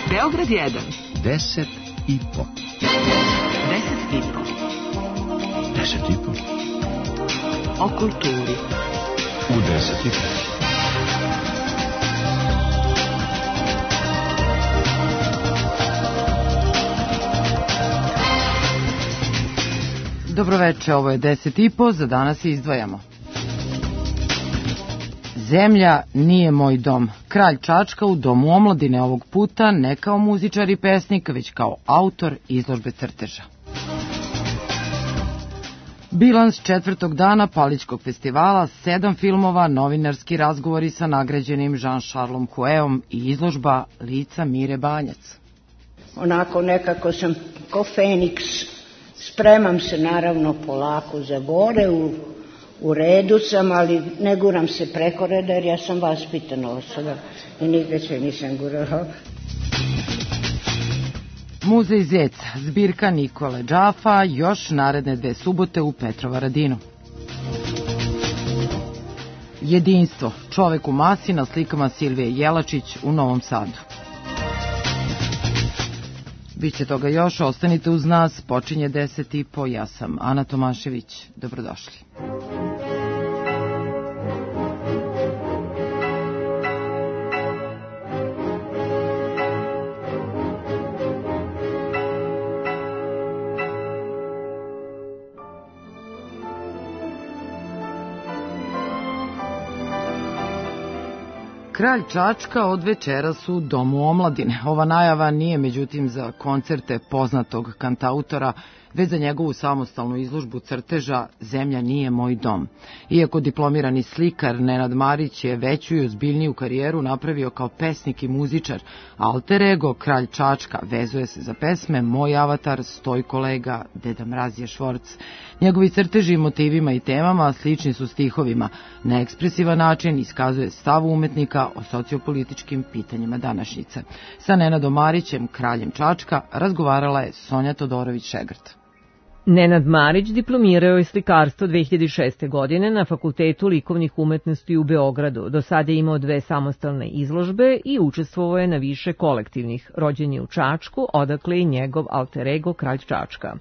Beograd 1. 10 i po. 10 i po. 10 i po. O kulturi. U 10 i po. Dobroveče, ovo je 10 i po, za danas izdvajamo. Zemlja nije moj dom. Kralj Čačka u Domu omladine ovog puta ne kao muzičar i pesnik, već kao autor izložbe crteža. Bilans četvrtog dana Palićkog festivala, 7 filmova, novinarski razgovori sa nagrađenim Jean-Charlesom Hueom i izložba lica Mire Banjac. Onako nekako sam ko Feniks, spremam se naravno polako za gore, u redu sam, ali ne guram se preko reda jer ja sam vaspitana osoba i nigde se nisam gurala. Muzej Zec, zbirka Nikole Džafa, još naredne 2 subote u Petrovaradinu. Jedinstvo, čovek u masi na slikama Silvije Jelačić u Novom Sadu. Biće toga još, ostanite uz nas, počinje 10 i po, ja sam Ana Tomašević, dobrodošli. Kralj Čačka od večeras u Domu omladine. Ova najava nije međutim za koncerte poznatog kantautora, već za njegovu samostalnu izložbu crteža Zemlja nije moj dom. Iako diplomirani slikar, Nenad Marić je veću i ozbiljniju karijeru napravio kao pesnik i muzičar. Alter ego Kralj Čačka vezuje se za pesme Moj avatar, Stojko Lega, Deda Mraz je Švorc. Njegovi crteži motivima i temama slični su stihovima. Na ekspresivan način iskazuje stav umetnika o sociopolitičkim pitanjima današnjice. Sa Nenadom Marićem, kraljem Čačka, razgovarala je Sonja Todorović-Šegrt. Nenad Marić diplomirao je slikarstvo 2006. godine na Fakultetu likovnih umetnosti u Beogradu. Do sada je imao 2 samostalne izložbe i učestvovao je na više kolektivnih. Rođen je u Čačku, odakle i njegov alter ego Kralj Čačka.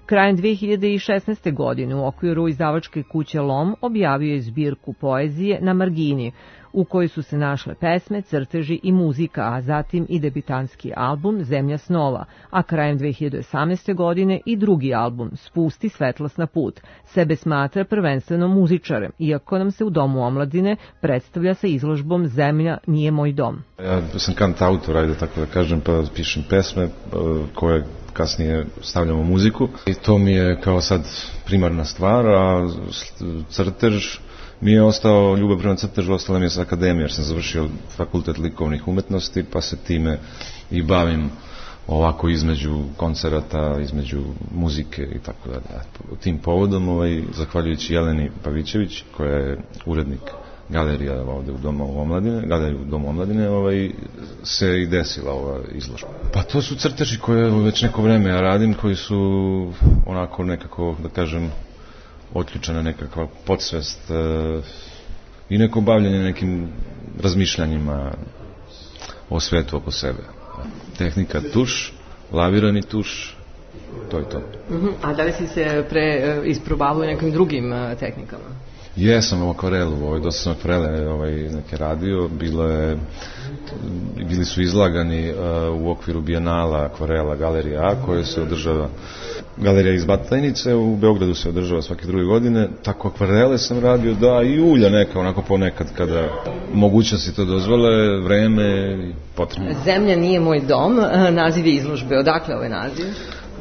Krajem 2016. godine u okviru izdavačke kuće Lom objavio je zbirku poezije Na margini, u kojoj su se našle pesme, crteži i muzika, a zatim i debitanski album Zemlja snova, a krajem 2018. godine i drugi album Spusti svetlost na put. Sebe smatra prvenstveno muzičarem, iako nam se u Domu omladine predstavlja sa izložbom Zemlja nije moj dom. Ja sam kantautor, ajde tako da kažem, pa pišem pesme koje kasnije stavljamo muziku i to mi je kao sad primarna stvar, a crtež mi je ostao, ljubav prema crtežu ostala mi je sa akademije, jer sam završio Fakultet likovnih umetnosti, pa se time i bavim ovako između koncerata, između muzike i tako dalje. Tim povodom, zahvaljujući Jeleni Pavićević, koja je urednik galerija ovde u Domu omladine, se i desila ova izložba. Pa to su crteži koje već neko vreme ja radim, koji su onako nekako, da kažem, otključena nekakva podsvest i neko bavljanje nekim razmišljanjima o svetu oko sebe. Tehnika tuš, lavirani tuš, to je to. A da li si se pre isprobavao nekim drugim tehnikama? Jesam u akvarelu, dosta sam akvarele neke radio, bili su izlagani u okviru Bijenala akvarela Galerija A, koje se održava, galerija iz Batajnice, u Beogradu se održava svake 2 godine, tako akvarele sam radio, da, i ulja neka, onako ponekad kada mogućnosti to dozvole, vreme i potrebno. Zemlja nije moj dom, naziv je izložbe, odakle ovaj naziv?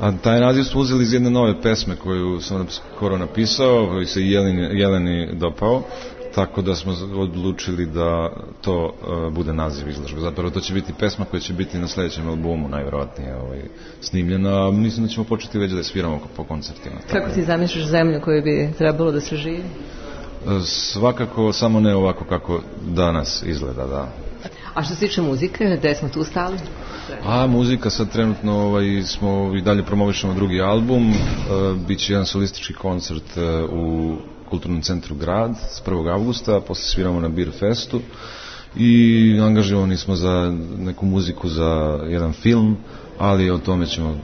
A taj naziv smo uzeli iz jedne nove pesme koju sam skoro napisao, koji se Jeleni dopao, tako da smo odlučili da to bude naziv izložbe. Zapravo to će biti pesma koja će biti na sledećem albumu, najverovatnije snimljena, a mislim da ćemo početi već da je sviramo po koncertima. Kako ti zamišljaš zemlju koju bi trebalo da se živi? Svakako, samo ne ovako kako danas izgleda, da. A što se tiče muzike, gde smo tu stali? A muzika sad trenutno smo i dalje promovišemo drugi album, biće jedan solistički koncert u Kulturnom centru Grad s 1. avgusta, posle sviramo na Beer Festu i angažovani smo za neku muziku za jedan film, ali o tome ćemo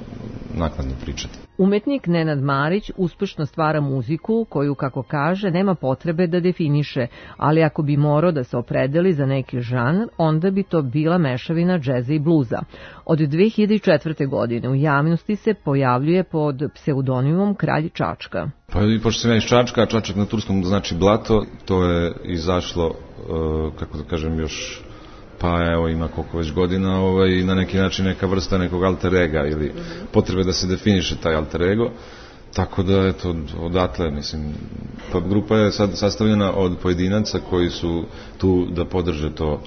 naknadno pričati. Umetnik Nenad Marić uspešno stvara muziku koju, kako kaže, nema potrebe da definiše, ali ako bi morao da se opredeli za neki žanr, onda bi to bila mešavina džeza i bluza. Od 2004. godine u javnosti se pojavljuje pod pseudonimom Kralj Čačka. Pa pošto sam ja iz Čačka, a Čačak na turskom znači blato, to je izašlo, kako da kažem, još pa evo ima koliko već godina, na neki način neka vrsta nekog alter ega ili potrebe da se definiše taj alter ego, tako da eto odatle, mislim, pa grupa je sad sastavljena od pojedinaca koji su tu da podrže to,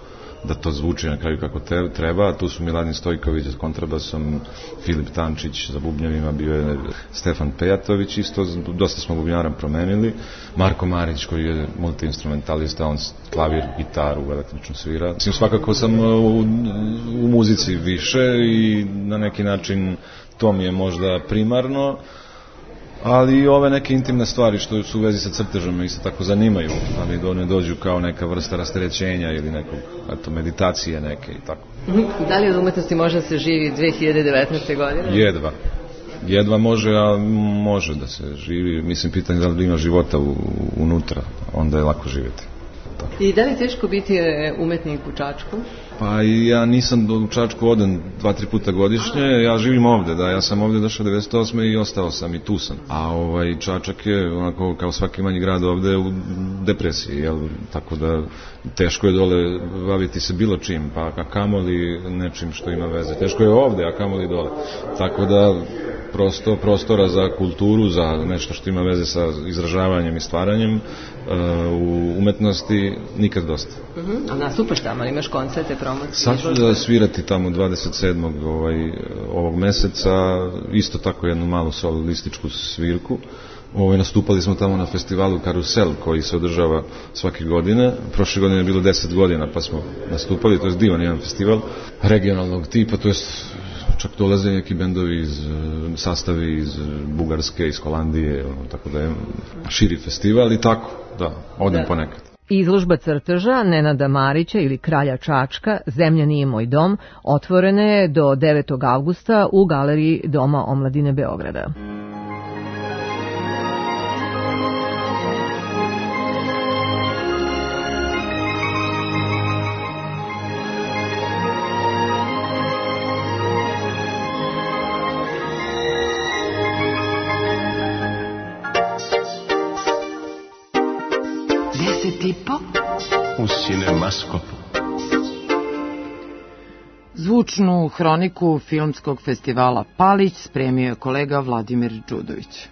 da to zvuči na kraju kako treba. Tu su Miladin Stojković s kontrabasom, Filip Tančić za bubnjevima, bio je Stefan Pejatović, isto dosta smo bubnjara promenili, Marko Marić koji je multiinstrumentalista, on klavir, gitaru, električno svira. Mislim, svakako sam u muzici više i na neki način to mi je možda primarno, ali i ove neke intimne stvari što su u vezi sa crtežom me isto tako zanimaju, ali ne dođu kao neka vrsta rasterećenja ili nekog, eto, meditacije neke i tako. Da li od umetnosti može da se živi 2019. godine? Jedva može, a može da se živi. Mislim, pitanje da li ima života unutra, onda je lako živjeti. Tako. I da li je teško biti umetnik u Čačku? Pa ja nisam u Čačku odan 2-3 puta godišnje, ja živim ovde, da, ja sam ovde došao 98. i ostao sam i tu sam. A Čačak je, onako, kao svaki manji grad ovde, u depresiji, jel? Tako da teško je dole baviti se bilo čim, pa kamoli nečim što ima veze. Teško je ovde, a kamoli dole. Tako da prostora za kulturu, za nešto što ima veze sa izražavanjem i stvaranjem u umetnosti nikad dosta. A nastupaš tamo, imaš koncerte, promocije? Sad ću da svirati tamo 27. ovog meseca, isto tako jednu malu solističku svirku. Nastupali smo tamo na festivalu Karusel koji se održava svake godine. Prošle godine je bilo 10 godina pa smo nastupali, to je divan jedan festival regionalnog tipa, to je čak dolaze neki bendovi sastavi iz Bugarske, iz Holandije, tako da je širi festival i tako, da, odem ponekad. Izložba crteža Nenada Marića ili Kralja Čačka, Zemlja nije moj dom, otvorena je do 9. avgusta u galeriji Doma omladine Beograda. U Cinemaskopu. Zvučnu hroniku filmskog festivala Palić spremio je kolega Vladimir Đudović.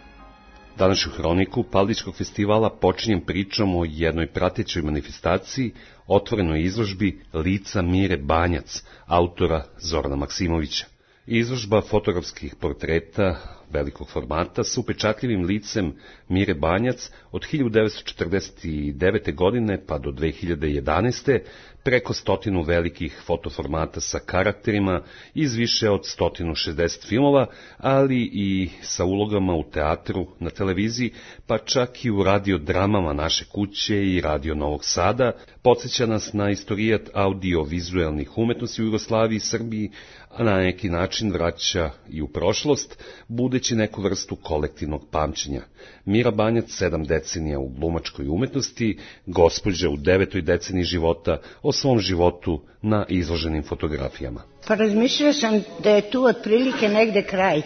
Današnju hroniku Palićkog festivala počinjem pričom o jednoj pratećoj manifestaciji, otvorenoj izložbi Lica Mire Banjac, autora Zorana Maksimovića. Izložba fotografskih portreta velikog formata sa upečatljivim licem Mire Banjac od 1949. godine pa do 2011. preko 100 velikih fotoformata sa karakterima iz više od 160 filmova, ali i sa ulogama u teatru, na televiziji, pa čak i u radiodramama Naše kuće i Radio Novog Sada, podsjeća nas na istorijat audio-vizuelnih umetnosti u Jugoslaviji i Srbiji, a na neki način vraća i u prošlost, budeći neku vrstu kolektivnog pamćenja. Mira Banjac 7 decenija u glumačkoj umetnosti, gospođa u 9. deceniji života, o svom životu na izloženim fotografijama. Pa razmišljala sam da je tu otprilike negde kraj.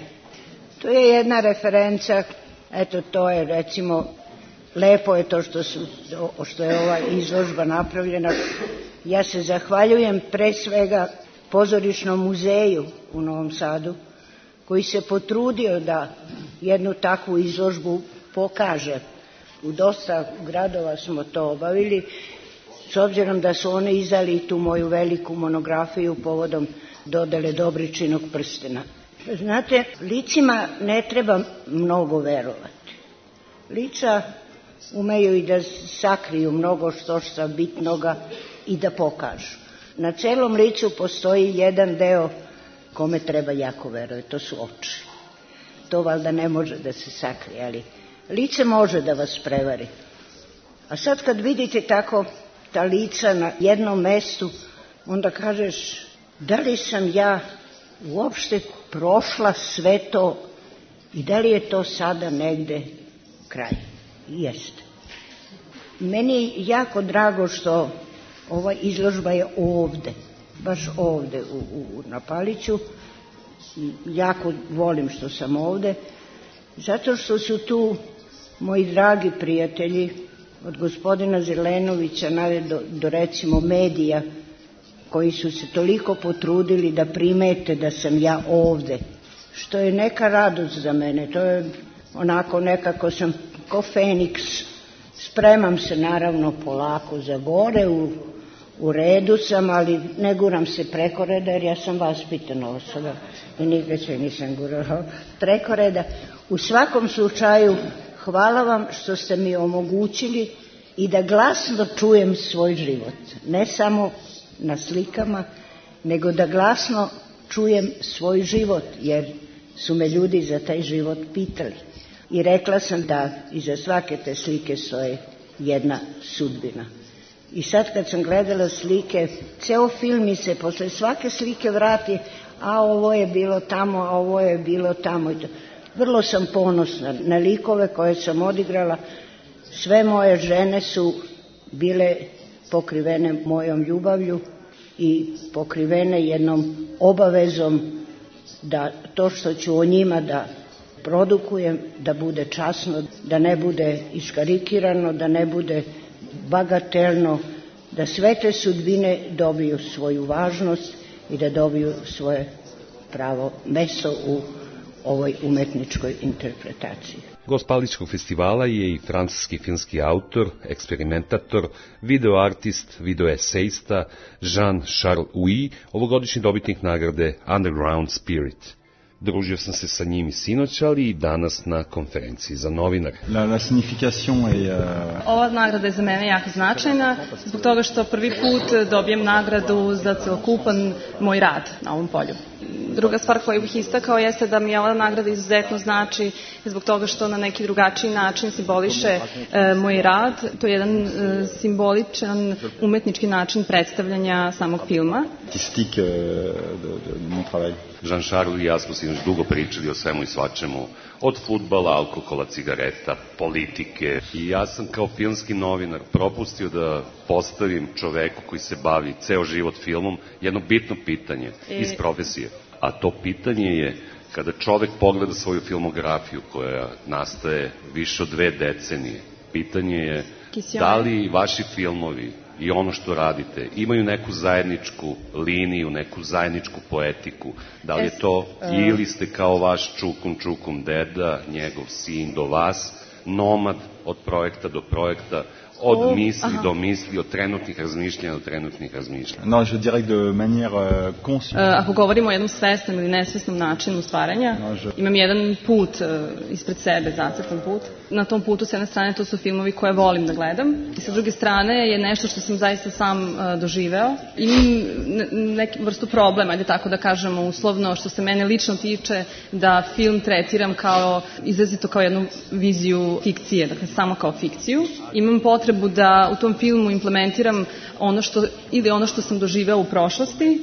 To je jedna referenca, eto to je recimo, lepo je to što je ova izložba napravljena. Ja se zahvaljujem pre svega Pozorišnom muzeju u Novom Sadu, koji se potrudio da jednu takvu izložbu pokaže. U dosta gradova smo to obavili, s obzirom da su oni izdali tu moju veliku monografiju povodom dodele Dobričinog prstena. Znate, licima ne treba mnogo verovati. Lica umeju i da sakriju mnogo što bitnoga i da pokažu. Na celom licu postoji jedan deo kome treba jako verovati, to su oči. To valjda ne može da se sakrije, ali lice može da vas prevari. A sad kad vidite tako ta lica na jednom mestu, onda kažeš da li sam ja uopšte prošla sve to i da li je to sada negde kraj. Jeste. Meni je jako drago što ova izložba je ovde, baš ovde na Paliću. Jako volim što sam ovde, zato što su tu moji dragi prijatelji, od gospodina Zelenovića do recimo medija, koji su se toliko potrudili da primete da sam ja ovde, što je neka radost za mene. To je onako, nekako sam ko Feniks, spremam se naravno polako za gore, u redu sam, ali ne guram se preko reda, jer ja sam vaspitana osoba i nikad se nisam gurala preko reda. U svakom slučaju, hvala vam što ste mi omogućili i da glasno čujem svoj život. Ne samo na slikama, nego da glasno čujem svoj život, jer su me ljudi za taj život pitali. I rekla sam da iza svake te slike stoje jedna sudbina. I sad kad sam gledala slike, ceo film mi se posle svake slike vrati, a ovo je bilo tamo, a ovo je bilo tamo. Vrlo sam ponosna na likove koje sam odigrala. Sve moje žene su bile pokrivene mojom ljubavlju i pokrivene jednom obavezom da to što ću o njima da produkujem, da bude časno, da ne bude iskarikirano, da ne bude bagatelno, da sve te sudbine dobiju svoju važnost i da dobiju svoje pravo mesto u ovoj umetničkoj interpretaciji. Gost Palićkog festivala je i francuski filmski autor, eksperimentator, videoartist, videoesejista Jean-Charles Huy, ovogodišnji dobitnik nagrade Underground Spirit. Družio sam se sa njim i sinoć, ali i danas na konferenciji za novinare. Ova nagrada je za mene jako značajna, zbog toga što prvi put dobijem nagradu za celokupan moj rad na ovom polju. Druga stvar koju bih istakao jeste da mi ova nagrada izuzetno znači zbog toga što na neki drugačiji način simboliše moj rad. To je jedan simboličan umetnički način predstavljanja samog filma. Jean-Charles i ja smo sinoć dugo pričali o svemu i svačemu, od fudbala, alkohola, cigareta, politike. I ja sam kao filmski novinar propustio da postavim čoveku koji se bavi ceo život filmom jedno bitno pitanje iz profesije. A to pitanje je, kada čovek pogleda svoju filmografiju koja nastaje više od 2 decenije, pitanje je da li vaši filmovi i ono što radite imaju neku zajedničku liniju, neku zajedničku poetiku, da li je to ili ste kao vaš čukum deda, njegov sin do vas, nomad od projekta do projekta, od misli do misli, od trenutnih razmišljanja do trenutnih razmišljanja. Non, je dirais de manière consciente. Ako govorimo o jednom svesnom ili nesvesnom načinu stvaranja, imam jedan put ispred sebe, zacrtan put. Na tom putu, s jedne strane, to su filmovi koje volim da gledam, i sa druge strane je nešto što sam zaista sam doživeo. Imam neku vrstu problema, ajde tako da kažemo uslovno, što se mene lično tiče, da film tretiram kao, izrazito kao jednu viziju fikcije, dakle samo kao fikciju. Imam potrebu da u tom filmu implementiram ono što sam doživeo u prošlosti,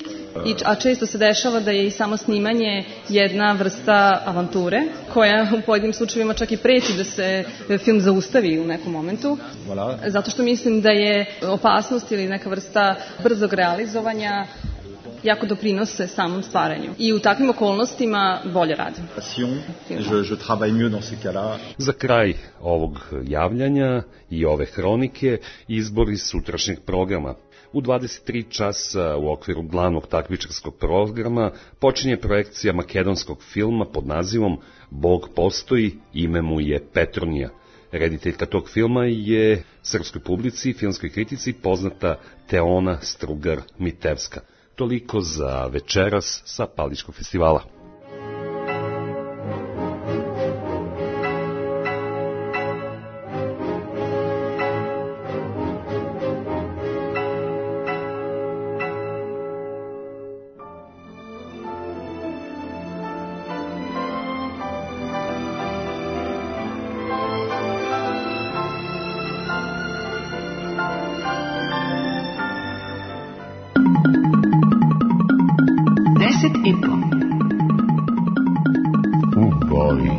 a često se dešava da je i samo snimanje jedna vrsta avanture, koja u pojedinim slučajevima čak i preći da se film zaustavi u nekom momentu, zato što mislim da je opasnost ili neka vrsta brzog realizovanja jako doprinose samom stvaranju. I u takvim okolnostima bolje radim. Za kraj ovog javljanja i ove hronike izbori sutrašnjeg programa. U 23 časa u okviru glavnog takmičarskog programa počinje projekcija makedonskog filma pod nazivom Bog postoji, ime mu je Petronija. Rediteljka tog filma je srpskoj publici i filmskoj kritici poznata Teona Strugar-Mitevska. Toliko za večeras sa Palićkog festivala. 10,5. U boji.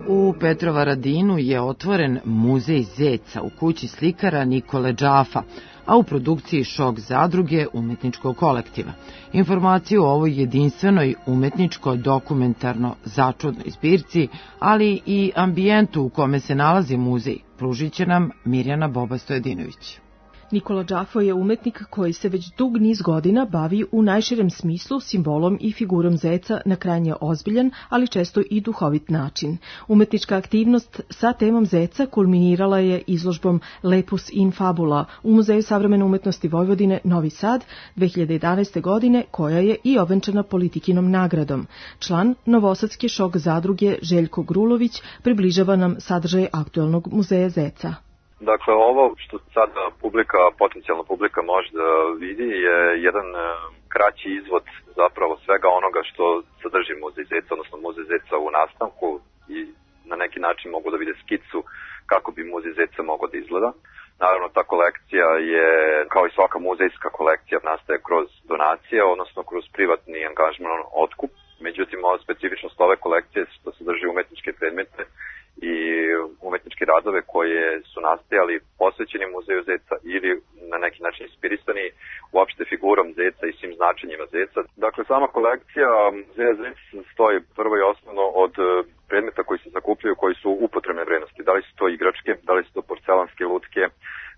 U Petrovaradinu je otvoren muzej zeca u kući slikara Nikole Džafa, a u produkciji Šok zadruge umetničkog kolektiva. Informaciju o ovoj jedinstvenoj umetničko-dokumentarno začudnoj zbirci, ali i ambijentu u kome se nalazi muzej, pružit će nam Mirjana Boba-Stojedinović. Nikola Džafo je umetnik koji se već dug niz godina bavi u najširem smislu simbolom i figurom zeca na krajnje ozbiljan, ali često i duhovit način. Umetnička aktivnost sa temom zeca kulminirala je izložbom Lepus in Fabula u Muzeju savremene umetnosti Vojvodine Novi Sad 2011. godine, koja je i ovenčana Politikinom nagradom. Član Novosadske Šok zadruge Željko Grulović približava nam sadržaj aktuelnog muzeja zeca. Dakle, ovo što sada potencijalna publika može da vidi je jedan kraći izvod zapravo svega onoga što sadrži muzej zeca, odnosno muzej zeca u nastavku, i na neki način mogu da vide skicu kako bi muzej zeca mogao da izgleda. Naravno, ta kolekcija je, kao i svaka muzejska kolekcija, nastaje kroz donacije, odnosno kroz privatni angažman, otkup. Međutim, ova specifičnost ove kolekcije je što sadrži umetničke predmete i umetničke radove koje su nastajali posvećeni muzeju zeca ili na neki način inspirisani uopšte figurom zeca i svim značenjima zeca. Dakle, sama kolekcija muzeja zeca stoji prvo i osnovno od predmeta koji se zakupljaju, koji su upotrebne vrednosti. Da li su to igračke, da li su to porcelanske lutke,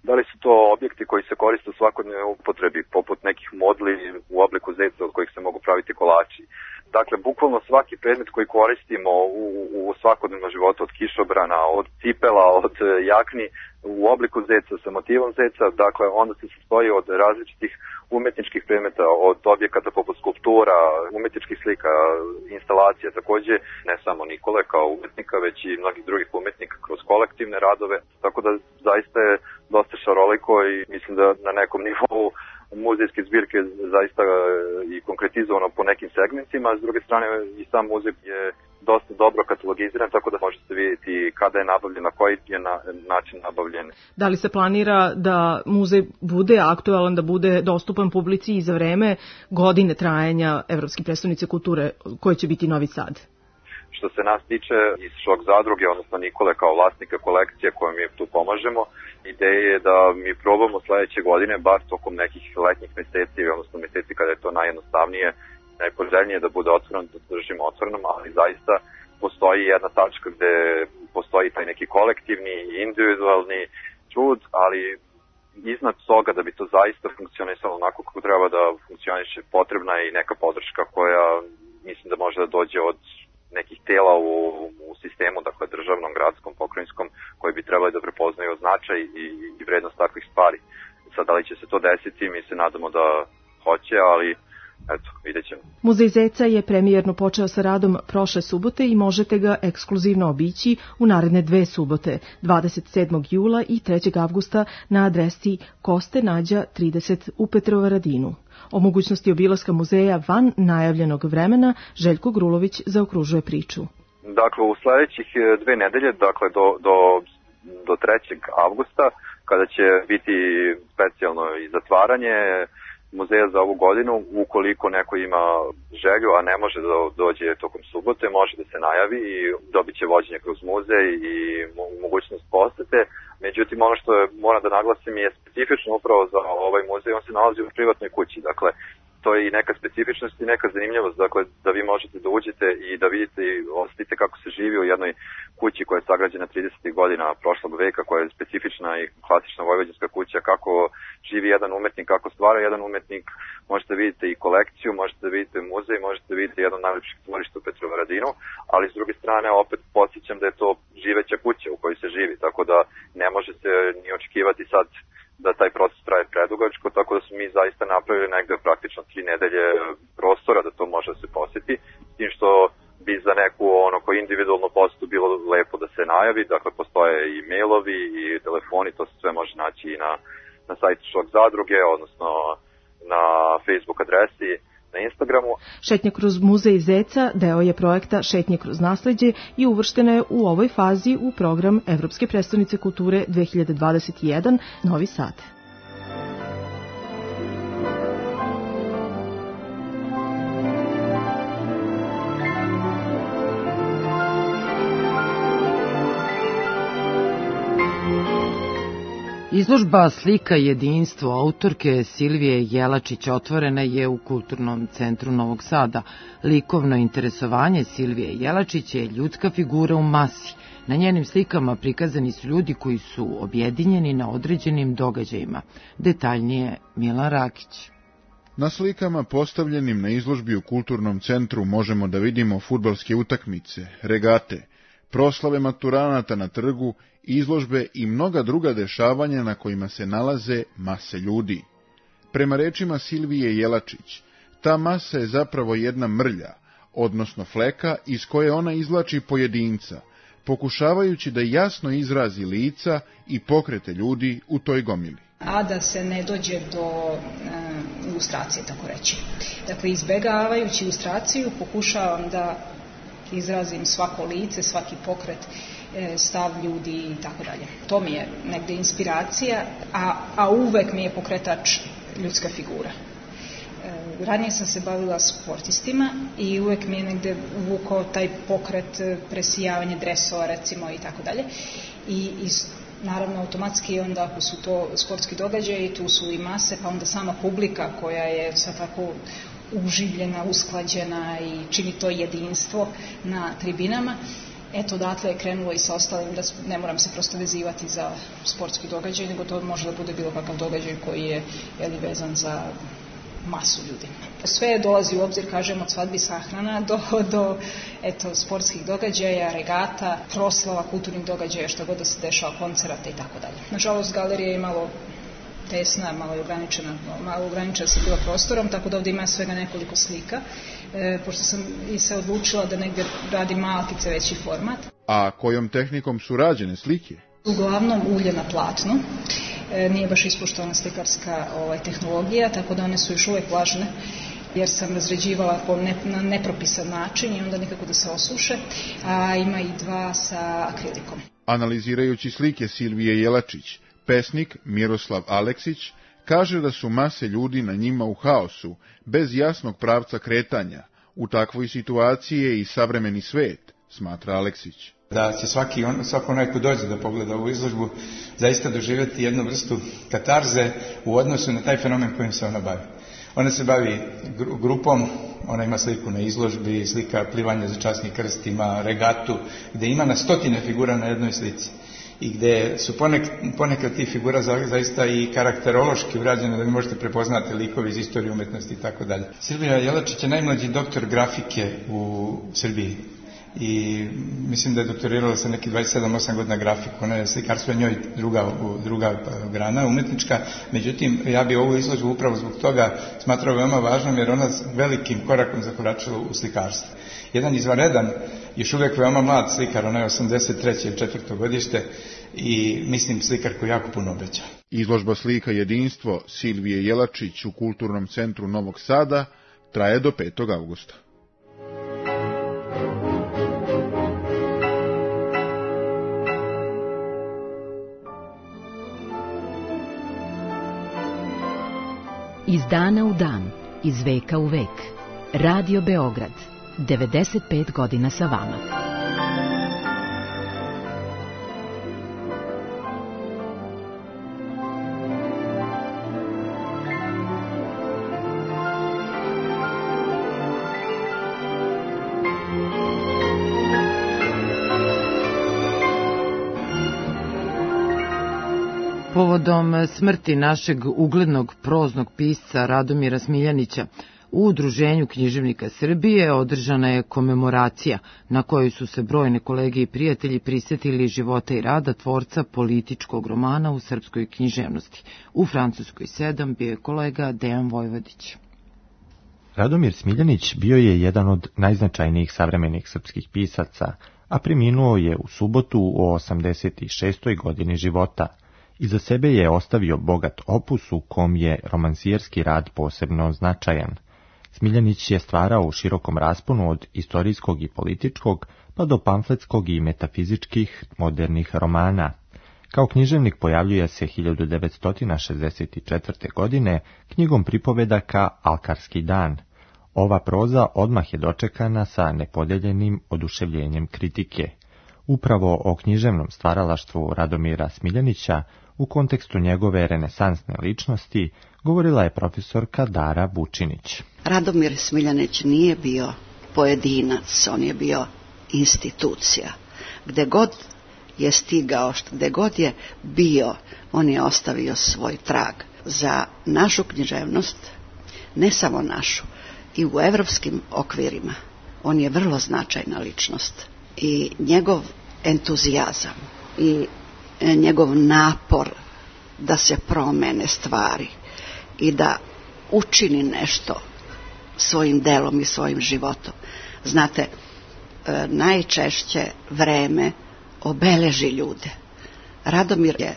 da li su to objekti koji se koriste u svakodnevnoj upotrebi, poput nekih modli u obliku zeca od kojih se mogu praviti kolači. Dakle, bukvalno svaki predmet koji koristimo u svakodnevnom životu, od kišobrana, od cipela, od jakni, u obliku zeca, sa motivom zeca, dakle, onda se sastoji od različitih umetničkih predmeta, od objekata poput skulptura, umetničkih slika, instalacija, takođe ne samo Nikole kao umetnika, već i mnogih drugih umetnika kroz kolektivne radove, tako da zaista je dosta šaroliko i mislim da na nekom nivou muzejske zbirke zaista i konkretizovano po nekim segmentima, a s druge strane i sam muzej je dosta dobro katalogiziran, tako da možete vidjeti kada je nabavljen, na koji je način nabavljen. Da li se planira da muzej bude aktualan, da bude dostupan publici i za vreme godine trajanja Evropske prestonice kulture, koje će biti Novi Sad? Što se nas tiče iz Šok zadruge, odnosno Nikole kao vlasnika kolekcije kojom mi tu pomažemo, ideja je da mi probamo sledeće godine, bar tokom nekih letnjih meseci, odnosno meseci kada je to najjednostavnije, najpoželjnije da bude otvoreno, da držimo otvorenom, ali zaista postoji jedna tačka gde postoji taj neki kolektivni i individualni trud, ali iznad toga da bi to zaista funkcionisalo onako kako treba da funkcioniše, potrebna je i neka podrška koja mislim da može da dođe od nekih tela u sistemu, dakle državnom, gradskom, pokrajinskom, koji bi trebali da prepoznaju značaj i vrednost takvih stvari. Sad, da li će se to desiti, mi se nadamo da hoće, ali eto, vidjet ćemo. Muzej zeca je premijerno počeo sa radom prošle subote i možete ga ekskluzivno obići u naredne 2 subote, 27. jula i 3. avgusta na adresi Koste Nađa 30 u Petrovaradinu. O mogućnosti obilaska muzeja van najavljenog vremena Željko Grulović zaokružuje priču. Dakle, u sledećih 2 nedelje, dakle do 3. avgusta, kada će biti specijalno i zatvaranje muzeja za ovu godinu, ukoliko neko ima želju, a ne može da dođe tokom subote, može da se najavi i dobit će vođenje kroz muzej i mogućnost posete. Međutim, ono što moram da naglasim je specifično upravo za ovaj muzej, on se nalazi u privatnoj kući, dakle, to je i neka specifičnost i neka zanimljivost, dakle, da vi možete da uđete i da vidite i osetite kako se živi u jednoj kući koja je sagrađena 30. godina prošlog veka, koja je specifična i klasična vojvođanska kuća, kako živi jedan umetnik, kako stvara jedan umetnik, možete da vidite i kolekciju, možete da vidite muzej, možete da vidite jedno od najlepših stvorišta u Petrovaradinu, ali s druge strane opet podsjećam da je to živeća kuća u kojoj se živi, tako da ne može se ni očekivati sad da taj proces traje predugačko, tako da smo mi zaista napravili negde praktično 3 nedelje prostora da to može da se poseti, s tim što bi za neku onako individualnu posetu bilo lepo da se najavi, dakle postoje i mailovi i telefoni, to se sve može naći i na sajtu Šok zadruge, odnosno na Facebook adresi, na Instagramu. Šetnja kroz muzej zeca deo je projekta Šetnje kroz nasleđe i uvrštena je u ovoj fazi u program Evropske prestonice kulture 2021 Novi Sad. Izložba Slika jedinstvo autorke Silvije Jelačić otvorena je u Kulturnom centru Novog Sada. Likovno interesovanje Silvije Jelačić je ljudska figura u masi. Na njenim slikama prikazani su ljudi koji su objedinjeni na određenim događajima. Detaljnije Milan Rakić. Na slikama postavljenim na izložbi u Kulturnom centru možemo da vidimo fudbalske utakmice, regate, proslave maturanata na trgu, izložbe i mnoga druga dešavanja na kojima se nalaze mase ljudi. Prema rečima Silvije Jelačić, ta masa je zapravo jedna mrlja, odnosno fleka iz koje ona izvlači pojedinca, pokušavajući da jasno izrazi lica i pokrete ljudi u toj gomili. A da se ne dođe do ilustracije, tako reći. Dakle, izbegavajući ilustraciju pokušavam da izrazim svako lice, svaki pokret, stav ljudi i tako dalje. To mi je negde inspiracija, a uvek mi je pokretač ljudska figura. Ranije sam se bavila sportistima i uvek mi je negde uvukao taj pokret, presijavanje dresova recimo i tako dalje. I naravno automatski onda ako su to sportski događaji, tu su i mase, pa onda sama publika koja je sad tako uživljena, usklađena i čini to jedinstvo na tribinama. Eto, odatle je krenulo i sa ostalim, da ne moram se prosto vezivati za sportski događaj, nego to može da bude bilo kakav događaj koji je vezan za masu ljudi. Sve dolazi u obzir, kažem, od svadbi sahrana do sportskih događaja, regata, proslava, kulturnih događaja, što god da se dešava, koncerata i tako dalje. Nažalost, galerija je malo tesna, malo ograničena se bila prostorom, tako da ovdje ima svega nekoliko slika, pošto sam i se odlučila da negdje radim malkice veći format. A kojom tehnikom su rađene slike? Uglavnom ulje na platnu. Nije baš ispoštovana slikarska tehnologija, tako da one su još uvijek vlažne, jer sam razređivala na nepropisan način i onda nikako da se osuše, a ima i dva sa akrilikom. Analizirajući slike Silvije Jelačić, pesnik Miroslav Aleksić kaže da su mase ljudi na njima u haosu, bez jasnog pravca kretanja. U takvoj situaciji je i savremeni svet, smatra Aleksić. Da će svako onaj ko dođe da pogleda ovu izložbu zaista doživjeti jednu vrstu katarze u odnosu na taj fenomen kojim se ona bavi. Ona se bavi grupom, ona ima sliku na izložbi, slika plivanja za časni krst, ima regatu, gdje ima na stotine figura na jednoj slici. I gdje su ponekad tih figura zaista i karakterološki urađene, da vi možete prepoznati likovi iz istorije umetnosti i tako dalje. Silvija Jelačić je najmlađi doktor grafike u Srbiji. I mislim da je doktorirala sa neki 27-8 godina grafiku, ona je slikarstvo njoj druga grana umetnička, međutim ja bi ovu izložbu upravo zbog toga smatrao veoma važnom jer ona velikim korakom zakoračila u slikarstvo. Jedan izvanredan, još uvijek veoma mlad slikar, ona je 83. ili 4. godište i mislim slikar koji jako puno obeća. Izložba Slika jedinstvo Silvije Jelačić u Kulturnom centru Novog Sada traje do 5. avgusta. Iz dana u dan, iz veka u vek. Radio Beograd, 95 godina sa vama. Povodom smrti našeg uglednog proznog pisca Radomira Smiljanića u Udruženju književnika Srbije održana je komemoracija na kojoj su se brojne kolege i prijatelji prisjetili života i rada tvorca političkog romana u srpskoj književnosti. U Francuskoj 7 bio je kolega Dejan Vojvodić. Radomir Smiljanić bio je jedan od najznačajnijih savremenih srpskih pisaca, a preminuo je u subotu u 86. godini života. Iza sebe je ostavio bogat opus u kom je romansijerski rad posebno značajan. Smiljanić je stvarao u širokom rasponu od istorijskog i političkog, pa do pamfletskog i metafizičkih modernih romana. Kao književnik pojavljuje se 1964. godine knjigom pripovedaka Alkarski dan. Ova proza odmah je dočekana sa nepodeljenim oduševljenjem kritike. Upravo o književnom stvaralaštvu Radomira Smiljanića U kontekstu njegove renesansne ličnosti govorila je profesorka Dara Vučinić. Radomir Smiljanić nije bio pojedinac, on je bio institucija. Gde god je stigao, gde god je bio, on je ostavio svoj trag. Za našu književnost, ne samo našu, i u evropskim okvirima, on je vrlo značajna ličnost. I njegov entuzijazam i njegov napor da se promene stvari i da učini nešto svojim delom i svojim životom. Znate, najčešće vreme obeleži ljude. Radomir je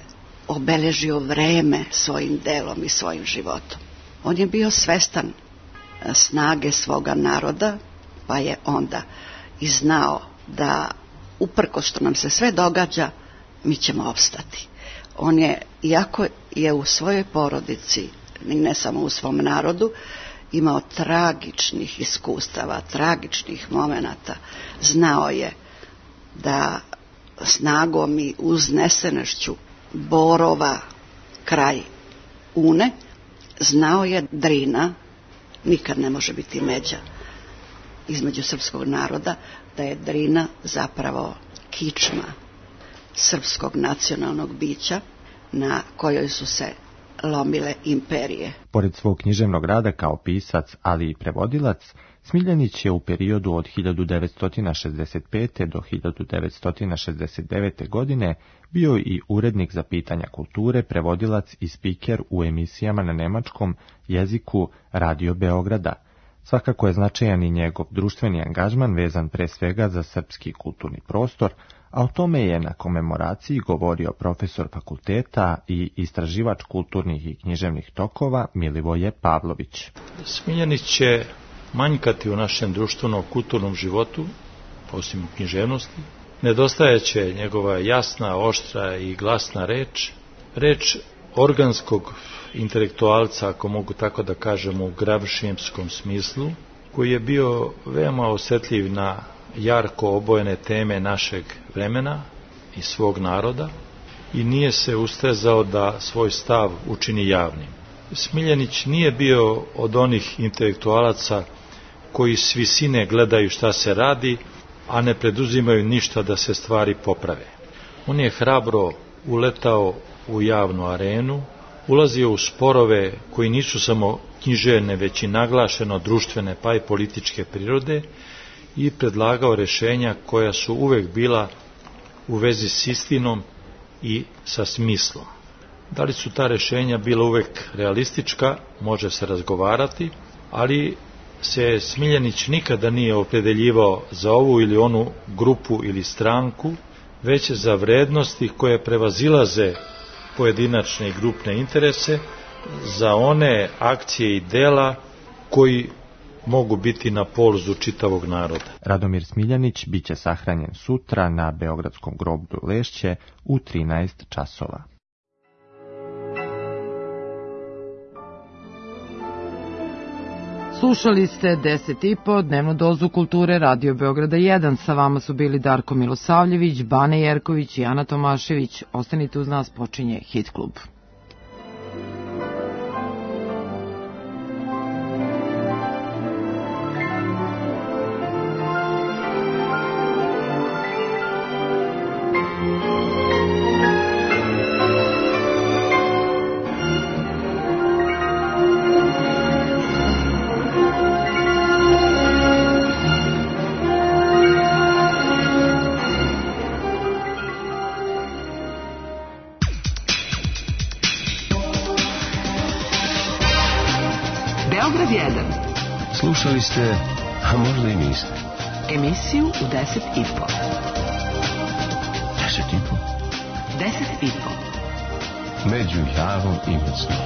obeležio vreme svojim delom i svojim životom. On je bio svestan snage svoga naroda, pa je onda i znao da uprkos što nam se sve događa, mi ćemo opstati. On je, iako je u svojoj porodici, i ne samo u svom narodu, imao tragičnih iskustava, tragičnih momenata, znao je da snagom i uznesenošću borova kraj Une, znao je Drina nikad ne može biti međa između srpskog naroda, da je Drina zapravo kičma srpskog nacionalnog bića na kojoj su se lomile imperije. Pored svog književnog rada kao pisac, ali i prevodilac, Smiljanić je u periodu od 1965. do 1969. godine bio i urednik za pitanja kulture, prevodilac i spiker u emisijama na nemačkom jeziku Radio Beograda. Svakako je značajan i njegov društveni angažman vezan pre svega za srpski kulturni prostor, a o tome je na komemoraciji govorio profesor fakulteta i istraživač kulturnih i književnih tokova Milivoje Pavlović. Smiljanić će manjkati u našem društveno-kulturnom životu, osim književnosti. Nedostajeće njegova jasna, oštra i glasna reč organskog intelektualca, ako mogu tako da kažem u gramšijemskom smislu, koji je bio veoma osetljiv na jarko obojene teme našeg vremena i svog naroda i nije se ustezao da svoj stav učini javnim. Smiljanić nije bio od onih intelektualaca koji s visine gledaju šta se radi, a ne preduzimaju ništa da se stvari poprave. On je hrabro uletao u javnu arenu, ulazio u sporove koji nisu samo književne, već i naglašeno društvene pa i političke prirode i predlagao rešenja koja su uvek bila u vezi s istinom i sa smislom. Da li su ta rešenja bila uvek realistička, može se razgovarati, ali se Smiljanić nikada nije opredeljivao za ovu ili onu grupu ili stranku, već za vrednosti koje prevazilaze pojedinačne i grupne interese, za one akcije i dela koji mogu biti na polzu čitavog naroda. Radomir Smiljanić biće sahranjen sutra na Beogradskom groblju Lešće u 13 časova. Slušali ste 10,5 dnevnu dozu kulture Radio Beograda 1. Sa vama su bili Darko Milosavljević, Bane Jerković i Ana Tomašević. Ostanite uz nas, počinje Hit klub. Slušali ste, a možda i niste, emisiju u 10,5. 10,5? 10,5. Među Javom i Mocnom.